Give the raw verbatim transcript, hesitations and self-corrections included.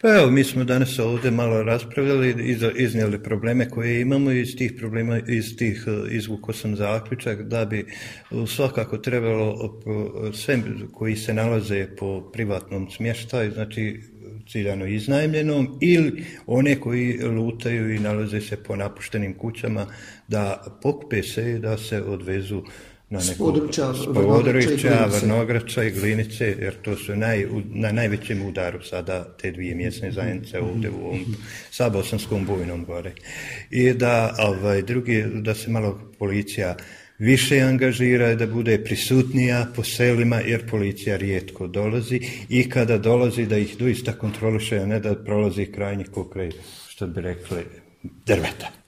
Pa evo, mi smo danas ovdje malo raspravljali, iznijeli probleme koje imamo i iz tih problema, iz tih izvukao sam zaključak da bi svakako trebalo sve koji se nalaze po privatnom smještaju, znači ciljano iznajmljenom, ili one koji lutaju i nalaze se po napuštenim kućama, da pokupe se i da se odvezu na neko područja Vrnograča i Glinice, jer to su naj, na najvećem udaru sada te dvije mjesne zajednice ovdje u ovom Sabosanskom bujnom gore. I da, ovaj, drugi, da se malo policija više angažira, da bude prisutnija po selima, jer policija rijetko dolazi i kada dolazi da ih doista kontroliše, a ne da prolazi krajnji pokraj, što bi rekli, drveta.